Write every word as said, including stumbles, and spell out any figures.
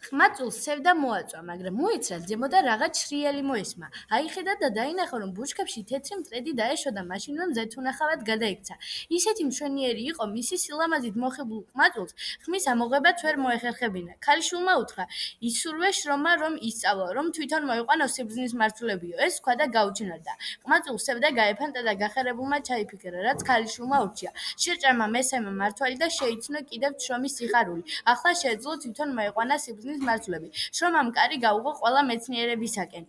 ხმაწულს სევდა მოაწვა, მაგრამ მოიცრა ზემო და რაღაც შრიელი მოესმა. აიხედა და დაინახა, რომ ბუჩქებში თეთრი მტრედი დაეშვა და მაშინვე მზეთუნახავად გადაიქცა. ისეთი მშვენიერი იყო მისი სილამაზით მოხიბლულ ხმაწულს, ხმის ამოღებაც ვერ მოეხერხებინა. ქალიშვილმა უთხრა, ისურვე შრომა, რომ ისწავლო, რომ თვითონ მოიყვანო სიბრძნის მარცვლებიო. ეს თქვა და გაუჩინარდა. ხმაწულს სევდა გაეფანტა და გახარებულმა ჩაიფიქრა, რაც ქალიშვილმა ურჩია. შეჭამა მესამე მმართველი და შეიცნო კიდევ შრომის სიხარული. ახლა შეეძლო თვითონ მოეყვანა სიბრძნის მარცვლები. შრომამ კარი გაუღო ყველა მეცნიერებისაკენ.